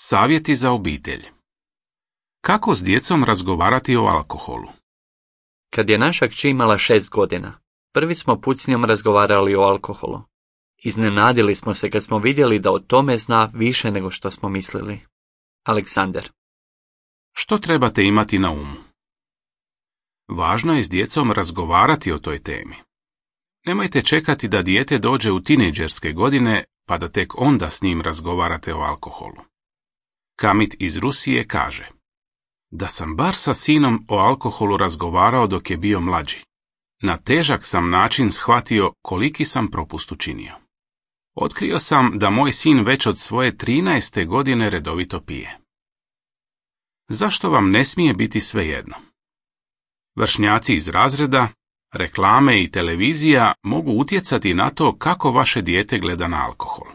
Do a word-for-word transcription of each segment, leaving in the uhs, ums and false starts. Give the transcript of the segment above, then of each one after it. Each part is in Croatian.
Savjeti za obitelj. Kako s djecom razgovarati o alkoholu? Kad je naša kći imala šest godina, prvi smo put s njom razgovarali o alkoholu. Iznenadili smo se kad smo vidjeli da o tome zna više nego što smo mislili. Aleksandar. Što trebate imati na umu? Važno je s djecom razgovarati o toj temi. Nemojte čekati da dijete dođe u tinejdžerske godine, pa da tek onda s njim razgovarate o alkoholu. Kamit iz Rusije kaže: da sam bar sa sinom o alkoholu razgovarao dok je bio mlađi. Na težak sam način shvatio koliki sam propust učinio. Otkrio sam da moj sin već od svoje trinaeste godine redovito pije. Zašto vam ne smije biti svejedno? Vršnjaci iz razreda, reklame i televizija mogu utjecati na to kako vaše dijete gleda na alkohol.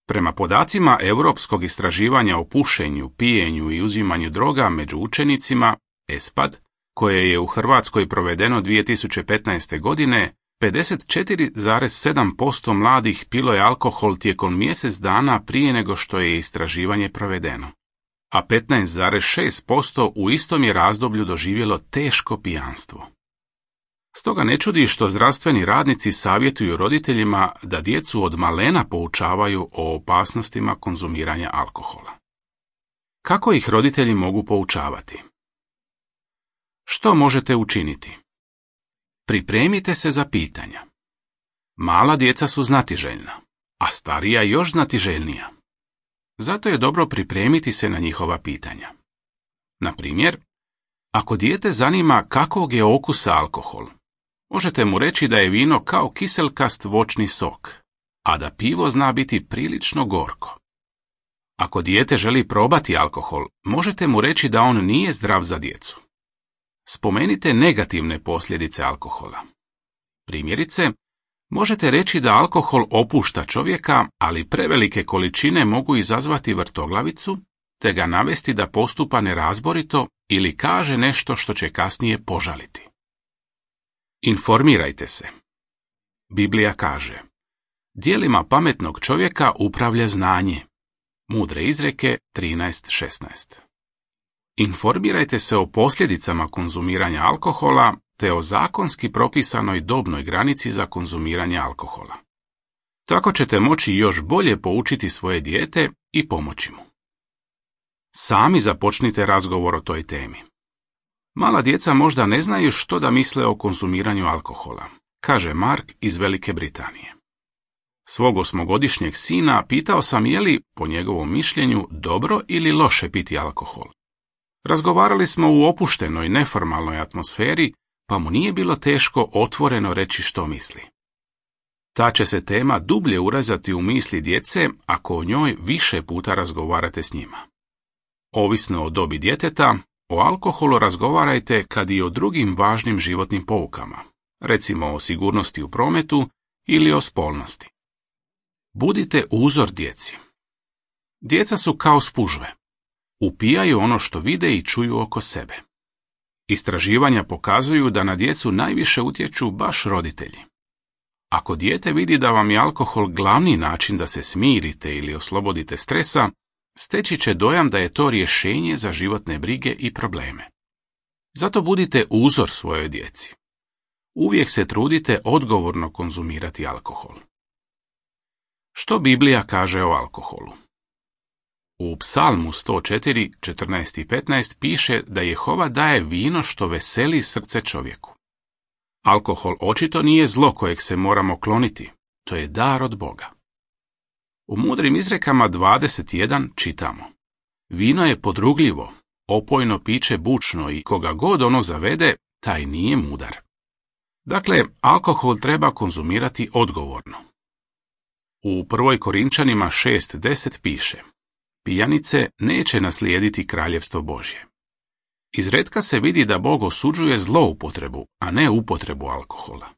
Prema podacima Europskog istraživanja o pušenju, pijenju i uzimanju droga među učenicima, ESPAD, koje je u Hrvatskoj provedeno dvije tisuće petnaeste. godine, pedeset četiri zarez sedam posto mladih pilo je alkohol tijekom mjesec dana prije nego što je istraživanje provedeno, a petnaest zarez šest posto u istom je razdoblju doživjelo teško pijanstvo. Stoga ne čudi što zdravstveni radnici savjetuju roditeljima da djecu od malena poučavaju o opasnostima konzumiranja alkohola. Kako ih roditelji mogu poučavati? Što možete učiniti? Pripremite se za pitanja. Mala djeca su znatiželjna, a starija još znatiželjnija. Zato je dobro pripremiti se na njihova pitanja. Na primjer, ako dijete zanima kakvog je okusa alkohol, možete mu reći da je vino kao kiselkast voćni sok, a da pivo zna biti prilično gorko. Ako dijete želi probati alkohol, možete mu reći da on nije zdrav za djecu. Spomenite negativne posljedice alkohola. Primjerice, možete reći da alkohol opušta čovjeka, ali prevelike količine mogu izazvati vrtoglavicu, te ga navesti da postupa nerazborito ili kaže nešto što će kasnije požaliti. Informirajte se. Biblija kaže: djelima pametnog čovjeka upravlja znanje. Mudre izreke trinaest šesnaest. Informirajte se o posljedicama konzumiranja alkohola te o zakonski propisanoj dobnoj granici za konzumiranje alkohola. Tako ćete moći još bolje poučiti svoje dijete i pomoći mu. Sami započnite razgovor o toj temi. Mala djeca možda ne znaju što da misle o konzumiranju alkohola, kaže Mark iz Velike Britanije. Svog osmogodišnjeg sina pitao sam je li, po njegovom mišljenju, dobro ili loše piti alkohol. Razgovarali smo u opuštenoj, neformalnoj atmosferi, pa mu nije bilo teško otvoreno reći što misli. Ta će se tema dublje urezati u misli djece ako o njoj više puta razgovarate s njima. Ovisno o dobi djeteta, o alkoholu razgovarajte kad i o drugim važnim životnim poukama, recimo o sigurnosti u prometu ili o spolnosti. Budite uzor djeci. Djeca su kao spužve. Upijaju ono što vide i čuju oko sebe. Istraživanja pokazuju da na djecu najviše utječu baš roditelji. Ako dijete vidi da vam je alkohol glavni način da se smirite ili oslobodite stresa, steći će dojam da je to rješenje za životne brige i probleme. Zato budite uzor svojoj djeci. Uvijek se trudite odgovorno konzumirati alkohol. Što Biblija kaže o alkoholu? U Psalmu sto četiri, četrnaest i petnaest piše da Jehova daje vino što veseli srce čovjeku. Alkohol očito nije zlo kojeg se moramo kloniti, to je dar od Boga. U mudrim izrekama dvadeset jedan čitamo: vino je podrugljivo, opojno piće bučno i koga god ono zavede, taj nije mudar. Dakle, alkohol treba konzumirati odgovorno. U prvoj Korinčanima šest deset piše: pijanice neće naslijediti kraljevstvo Božje. Izretka se vidi da Bog osuđuje zloupotrebu, a ne upotrebu alkohola.